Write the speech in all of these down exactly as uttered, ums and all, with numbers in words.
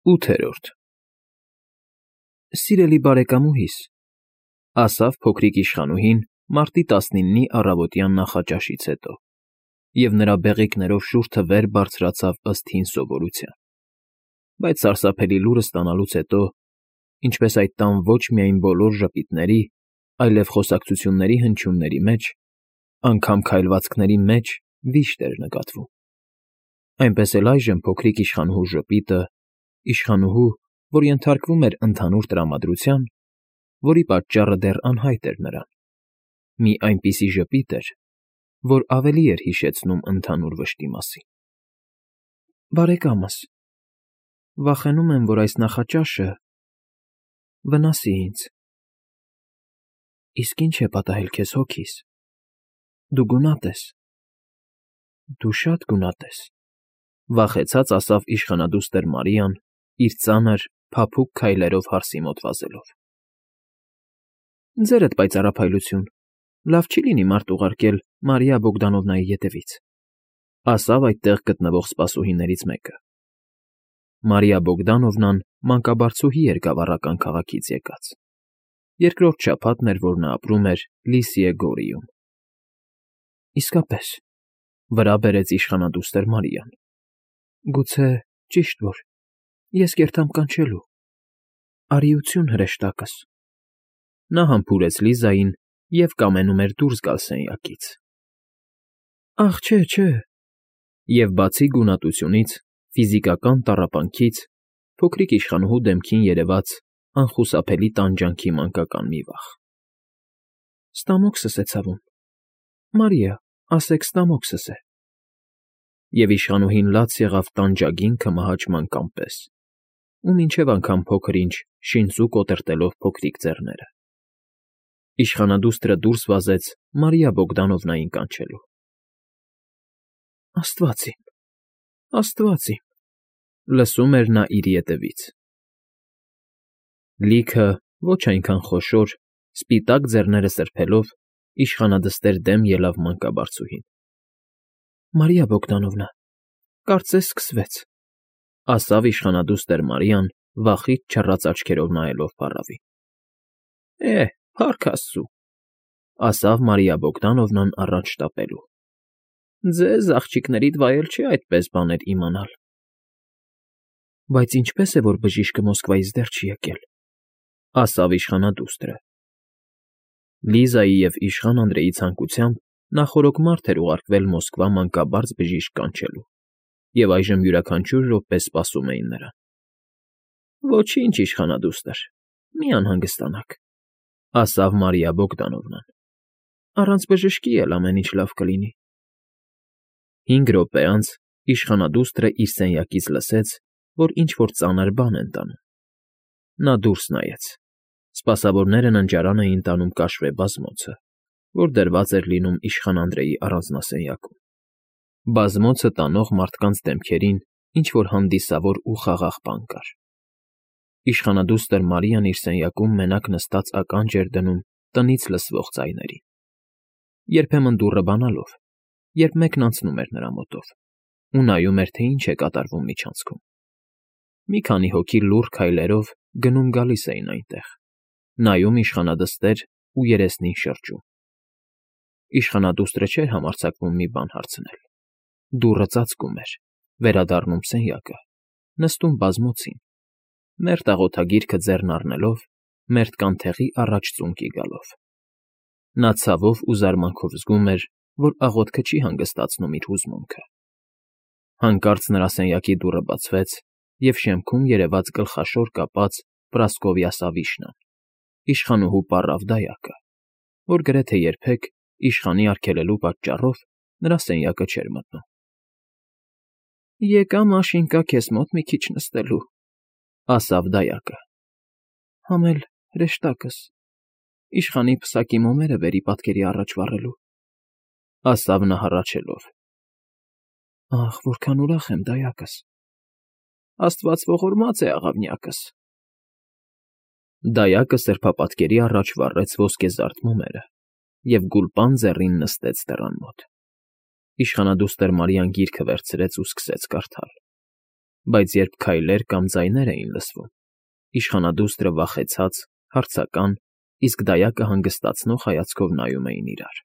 ՈՒԹԵՐՈՐԴ Սիրելի բարեկամուհիս,֊ ասաց փոքրիկ իշխանուհին մարտի տասնինի առավոտյան նախաճաշից հետո, և նրա բեղիկներով շուրթը վեր բարձրացավ ըստ հին սովորության, բայց սարսափելի լուրն ստանալուց հետո, ինչպես այդ տան ոչ միայն բոլոր ժպիտների, այլև խոսակցությունների հնչյունների մեջ, անգամ քայլվածքների մեջ վիշտ էր նկատվում, այնպես էլ այժմ փոքրիկ իշխանուհու ժպիտը, իշխանուհու, որ ենթարկվում էր ընդհանուր տրամադրության, որի պատճառը դեռ անհայտ էր նրան, մի այնպիսի ժպիտ էր, որ ավելի էր հիշեցնում ընդհանուր վշտի մասին։ ֊ Բարեկամս, վախենում եմ, որ այս նախաճաշը… վնասի ինձ։ ֊ Իսկ ի՞նչ է պատահել քեզ, հոգիս, դու գունատ ես, դու շատ գունատ ես,֊ վախեցած ասաց իշխանադուստր Մարիան, իր ծանր, փափուկ քայլերով հարսի մոտ վազելով։ ֊ Ձերդ պայծառափայլություն, լավ չի լինի մարդ ուղարկել Մարիա Բոգդանովնայի ետևից,֊ ասաց այդտեղ գտնվող սպասուհիներից մեկը։ Մարիա Բոգդանովնան մանկաբարձուհի էր գավառական քաղաքից եկած, երկրորդ շաբաթն էր, որ նա ապրում էր Լիսիե Գորիում։ ֊ Իսկապես,֊ վրա բերեց իշխանադուստր Մարիան,֊ գուցե ճիշտ որ, ես կերտամ կանչելու… Արիություն հրեշտակս… Նա համբուրեց Լիզային և կամենում էր դուրս գալ սենյակից։ ֊ Ախ, չէ, չէ…֊ Եվ բացի գունատությունից, ֆիզիկական տառապանքից փոքրիկ իշխանուհու դեմքին երևաց անխուսափելի տանջանքի մանկական մի վախ։ ֊ Ստամոքսս է ցավում, Մարիա, ասեք, ստամոքսս է… Եվ իշխանուհին լաց եղավ տանջագին քմահաճման կամ պես ու մինչև անգամ փոքր֊ինչ շինծու կոտրտելով փոքրիկ ձեռները։ Իշխանադուստրը դուրս վազեց Մարիա Բոգդանովնային կանչելու։ ֊ Աստված իմ, աստված իմ,֊ լսում էր նա իր ետևից։ Լիքը ոչ այնքան խոշոր, սպիտակ ձեռները սրբելով, իշխանադստեր դեմ ելավ մանկաբարձուհին։ ֊ Մարիա Բոգդանովնա, կարծես սկսվեց,֊ ասաց իշխանադուստր Մարիան, վախից չռած աչքերով նայելով փառավին։ ֊ Է, փառք աստծո,֊ ասաց Մարիա Բոգդանովնան առաջ շտապելով։ ֊ Ձեզ, աղջիկներիդ, վայել չէ այդպես բաներ իմանալ։ ֊ Բայց ինչպե՞ս է, որ բժիշկը Մոսկվայից դեռ չի եկել,֊ ասաց իշխանադուստրը։ Լիզայի և իշխան Անդրեի ցանկությամբ նախօրոք մարդ էր ուղարկվել Մոսկվա մանկաբարձ բժիշկ կանչելու, և այժմ յուրաքանչյուր րոպե սպասում էին նրան։ ֊ Ոչինչ, իշխանադուստր, մի անհանգստանաք,֊ ասաց Մարիա Բոգդանովնան։ Առանց բժշկի էլ ամեն ինչ լավ կլինի։ Հինգ րոպե անց իշխանադուստրը իր սենյակից լսեց, որ ինչ֊որ ծանր բան են տանում։ Նա դուրս նայեց. սպասավորները ննջարան էին տանում կաշվե բազմոցը, որ դրված էր լինում իշխան Անդրեի առանձնասենյակում։ Բազմոցը տանող մարդկանց դեմքերին ինչ֊որ հանդիսավոր ու խաղաղ բան կար։ Իշխանադուստր Մարիան իր սենյակում մենակ նստած ականջ էր դնում տնից լսվող ձայներին, երբեմն դուռը բանալով, երբ մեկն անցնում էր նրա մոտով ու նայում էր, թե ինչ է կատարվում միջանցքում։ Մի քանի հոգի լուռ քայլերով գնում֊գալիս էին այնտեղ, նայում իշխանադստեր ու երեսնին շրջում։ Իշխանադուստրը չէր համարձակվում մի բան հարցնել։ Դուռը ծածկում էր, վերադառնում սենյակը, նստում բազմոցին, մերթ աղոթագիրքը ձեռն առնելով, մերթ կանթեղի առաջ ծունկի գալով։ Նա ցավով ու զարմանքով զգում էր, որ աղոթքը չի հանգստացնում իր հուզմունքը։ Հանկարծ նրա սենյակի դուռը բացվեց, և շեմքում երևաց գլխաշոր կապած Պրասկովյա Սավիշնան, իշխանուհու պառավ դայակը, որ գրեթե երբեք, իշխանի արգելելու պատճառով, նրա սենյակը չէր մտնում։ ֊ Եկա, Մաշինկա, քեզ մոտ մի քիչ նստելու,֊ ասաց դայակը,֊ համ էլ հրեշտակս, իշխանի պսակի մոմերը վերի պատկերի առաջ վառելու,֊ ասաց նա հառաչելով։ ֊ Ախ, որքան ուրախ եմ, դայակս… Աստված ողորմած է, աղավնյակս… Դայակը սրբապատկերի առաջ վառեց ոսկեզարդ մոմերը և գուլպան ձեռին նստեց դռան մոտ։ Իշխանադուստր Մարիան գիրքը վերցրեց ու սկսեց կարդալ։ Բայց երբ քայլեր կամ ձայներ էին լսվում, իշխանադուստրը վախեցած, հարցական, իսկ դայակը հանգստացնող հայացքով նայում էին իրար.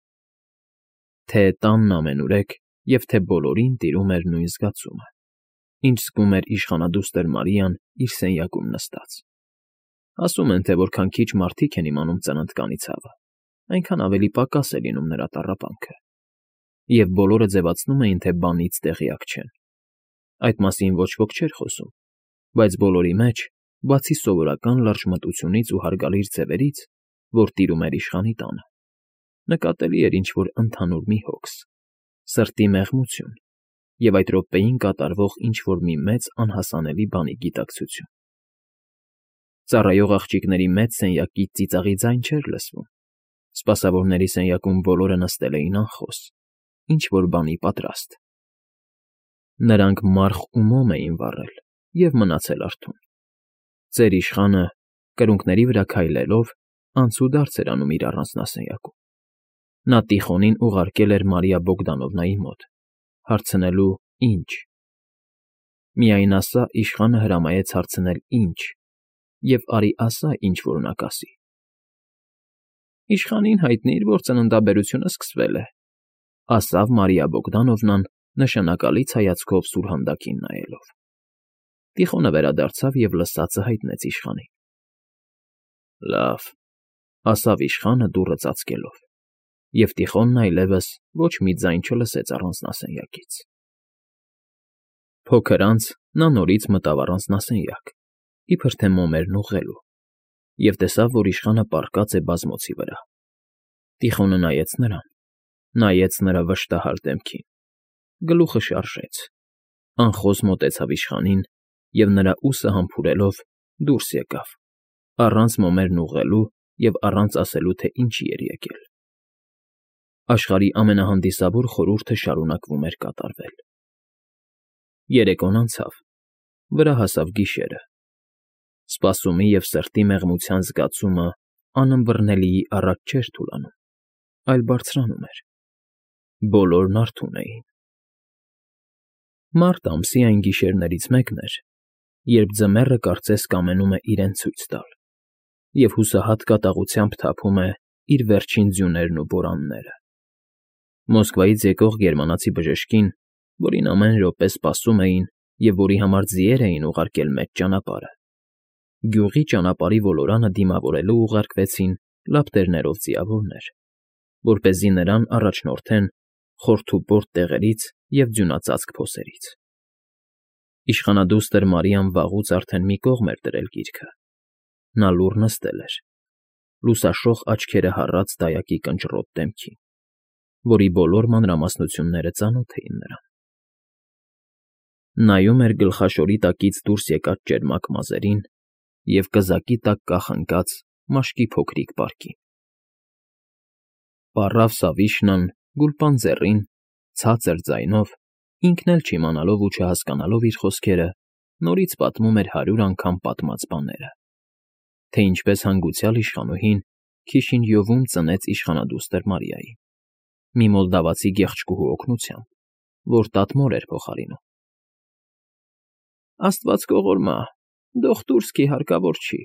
թե տանն ամենուրեք և թե բոլորին տիրում էր նույն զգացումը, ինչ զգում էր իշխանադուստր Մարիան իր սենյակում նստած. ասում են, թե որքան քիչ մարդիկ են իմանում ծննդկանի ցավը, այնքան ավելի պակաս է լինում նրա տառապանքը, և բոլորը ձևացնում էին, թե բանից տեղյակ չեն. այդ մասին ոչ ոք չէր խոսում, բայց բոլորի մեջ, բացի սովորական լրջմտությունից ու հարգալից ձևերից, որ տիրում էր իշխանի տանը, նկատելի էր ինչ֊որ ընդհանուր մի հոգս, սրտի մեղմություն և այդ րոպեին կատարվող ինչ֊որ մի մեծ անհասանելի բանի գիտակցություն։ Ծառայող աղջիկների մեծ սենյակից ծիծաղի ձայն չէր լսվում, սպասավորների սենյակում բոլորը նստել էին անխոս, ինչ֊որ բանի պատրաստ։ Նրանք մարխ ու մոմ էին վառել և մնացել արթուն։ Ծեր իշխանը, կրունկների վրա քայլելով, անցուդարձ էր անում իր առանձնասենյակում։ Նա Տիխոնին ուղարկել էր Մարիա Բոգդանովնայի մոտ, հարցնելու՝ ինչ։ Միայն ասա, իշխանը հրամայեց հարցնել՝ ինչ, և արի ասա, ինչ որ նա կասի։ Իշխանին հայտնի էր, որ ծննդաբերությունը սկսվել է, ասավ Մարիա Բոգդանովնան, նշանակալից հայացքով սուրհանդակին նայելով։ Տիխոնը վերադարձավ և լսածը հայտնեց իշխանին։ Լավ, ասավ իշխանը դուռը ծածկելով, և Տիխոնն այլևս ոչ մի ձայն չլսեց առանձնասենյակից։ Փոքր անց նա նորից մտավ առանձնասենյակ, իբր թե մոմերն ուղղելու, և տեսավ, որ իշխանը պառկած է բազմոցի վրա։ Տիխոնը նայեց նրան, նայեց նրա վշտահար դեմքին, գլուխը շարժեց, անխոս մոտեցավ իշխանին և նրա ուսը համբուրելով դուրս եկավ, առանց մոմերն ուղղելու և առանց ասելու, թե ինչի էր եկել։ Աշխարհի ամենահանդիսավոր խորհուրդը շարունակվում էր կատարվել։ Երեկոն անցավ, վրա հասավ գիշերը։ Սպասումի և սրտի մեղմության զգացումը անըմբռնելիի առաջ չէր թուլանում, այլ բարձրանում էր։ Բոլորն արթուն էին։ Մարտ ամսի այն գիշերներից մեկն էր, երբ ձմեռը կարծես կամենում է իրեն ցույց տալ, և հուսահատ կատաղությամբ թափում է իր վերջին ձյուներն ու բորանները։ Մոսկվայից եկող գերմանացի բժշկին, որին ամեն րոպե սպասում էին և որի համար ձիեր էին ուղարկել մեծ ճանապարհը, գյուղի ճանապարհի ոլորանը դիմավորելու ուղարկվեցին լապտերներով ձիավորներ, որպեսզի նրան առաջնորդեն խորթուբորտ տեղերից և ձյունածածկ փոսերից։ Իշխանադուստր Մարիան վաղուց արդեն մի կողմ էր դրել գիրքը։ Նա լուռ նստել էր, լուսաշող աչքերը հառած դայակի կնճռոտ դեմքին, որի բոլոր մանրամասնությունները ծանոթ էին նրան։ Նայում էր գլխաշորի տակից դուրս եկած ճերմակ մազերին և կզակի տակ կախնկած մաշկի փոքրիկ պարկին։ Պառավ Սավիշնան գուլպան ձեռին, ցածր ձայնով, ինքն էլ չիմանալով ու չհասկանալով իր խոսքերը, նորից պատմում էր հարյուր անգամ պատմած բաները, թե ինչպես հանգուցյալ իշխանուհին Քիշինյովում ծնեց իշխանադուստր Մարիային, մի մոլդավացի գեղեցկուհու օգնությամբ, որ տատմոր էր փոխարինում։ Աստված կողորմա, դոխտուրսկի հարկավոր չի,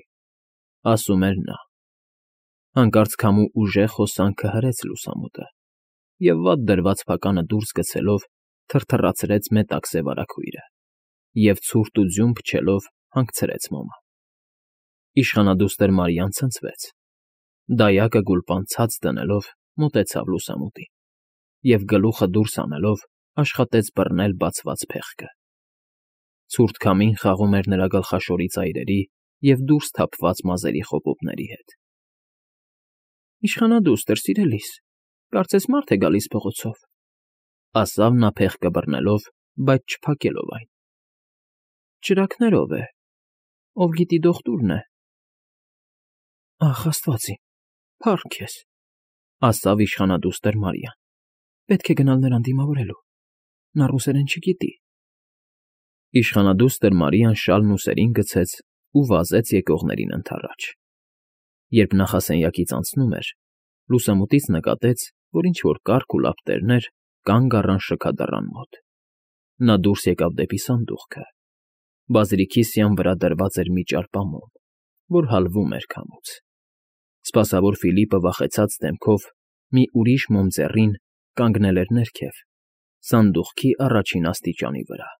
ասում էր նա։ Հանկարծ քամու ուժեղ հոսանքը հրեց լուսամուտը, և վատ դրված փականը դուրս գցելով թրթռացրեց մետաղ սևառաքույրը և ցուրտ ու ձյուն փչելով հանգցրեց մոմը։ Իշխանադուստր Մարիան ցնցվեց, դայակը գուլպան ցած դնելով մոտեցավ լուսամուտին և գլուխը դուրս հանելով աշխատեց բռնել բացված փեղկը։ Ցուրտ քամին խաղում էր նրա գլխաշորի ծայրերի և դուրս թափված մազերի խոպոպների հետ։ Իշխանադուստր, սիրելիս, կարծես մարդ է գալիս փողոցով, ասավ նա փեղկը բռնելով, բայց չփակելով այն։ Ճրագներով է, ով գիտի դոխտուրն է։ Ախ, աստված իմ, փառք քեզ, ասավ իշխանադուստր Մարիան, պետք է գնալ նրան դիմավորելու, նա ռուսերեն չգիտի։ Իշխանադուստր Մարիան շալն ուսերին գցեց ու վազեց եկողներին ընդառաջ։ Երբ նախասենյակից անցնում էր, լուսամուտից նկատեց, որ ինչ֊որ կառք ու լապտերներ կանգ առան շքադռան մոտ։ Նա դուրս եկավ դեպի սանդուղքը, Բազիլիկի վրա դրված էր մի ճարպամոմ, որ հալվում էր քամուց։ Սպասավոր Ֆիլիպը վախեցած դեմքով մի ուրիշ մոմ ձեռին կանգնել էր ներքև, սանդուղքի առաջին աստիճանի վրա։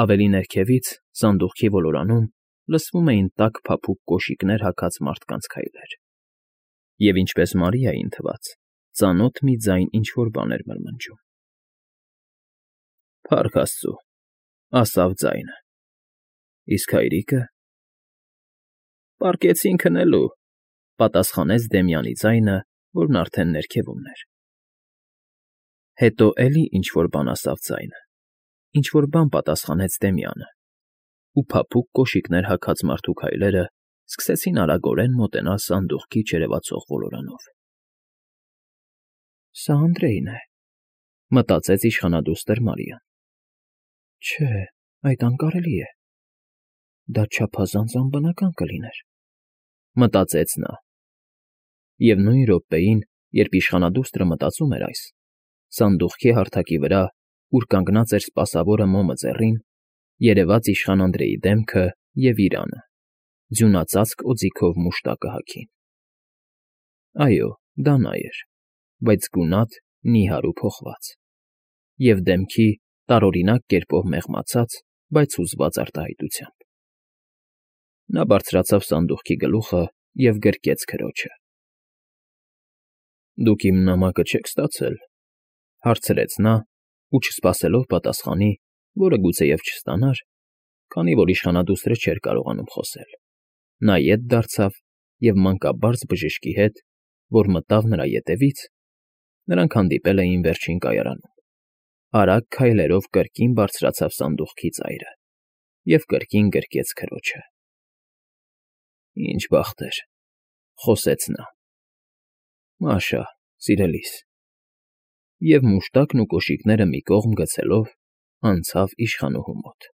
Ավելի ներքևից, սանդուղքի ոլորանում, լսվում էին տաք փափուկ կոշիկներ հագած մարդկանց քայլեր, և, ինչպես Մարիային թվաց, ծանոթ մի ձայն ինչ֊որ բան էր մրմնջում։ «Փառք աստծո», ասավ ձայնը։ «Իսկ հայրիկը…» «Պառկեցին քնելու», պատասխանեց Դեմյանի ձայնը, որն արդեն ներքևում էր։ Հետո էլի ինչ֊որ բան ասավ ձայնը, ինչ֊որ բան պատասխանեց Դեմյանը, ու փափուկ կոշիկներ հագած մարդու քայլերը սկսեցին արագորեն մոտենալ սանդուղքի չերևացող ոլորանով։ «Սա Անդրեյն է», մտածեց իշխանադուստր Մարիան։ «Չէ, այդ անկարելի է։ Դա չափազանց անբնական կլիներ», մտածեց նա։ Եվ նույն րոպեին, երբ իշխանադուստրը մտածում էր այս, սանդուղքի հարթակի վրա, ուր կանգնած էր սպասավորը մոմը ձեռին, երևաց իշխան Անդրեի դեմքը և իրանը, ձյունածածկ օձիքով մուշտակը հագին։ Այո, դա նա էր, բայց գունատ, նիհար ու փոխված, և դեմքի տարօրինակ կերպով մեղմացած, բայց հուզված արտահայտությամբ։ Նա բարձրացավ սանդուղքի գլուխը և գրկեց քրոջը։ ֊ Դուք իմ նամակը չե՞ք ստացել,֊ հարցրեց նա, ու չսպասելով պատասխանի, որը գուցեև չստանար, քանի որ իշխանադուստրը չէր կարողանում խոսել, նա ետ դարձավ և մանկաբարձ բժշկի հետ, որ մտավ նրա ետևից (նրանք հանդիպել էին վերջին կայարանում), արագ քայլերով կրկին բարձրացավ սանդուղքի ծայրը և կրկին գրկեց քրոջը։ ֊ Ինչ բախտեր,֊ խոսեց նա։ ֊ Մաշա, սիրելիս…֊ Եվ մուշտակն ու կոշիկները մի կողմ գցելով, անցավ իշխանուհու մոտ։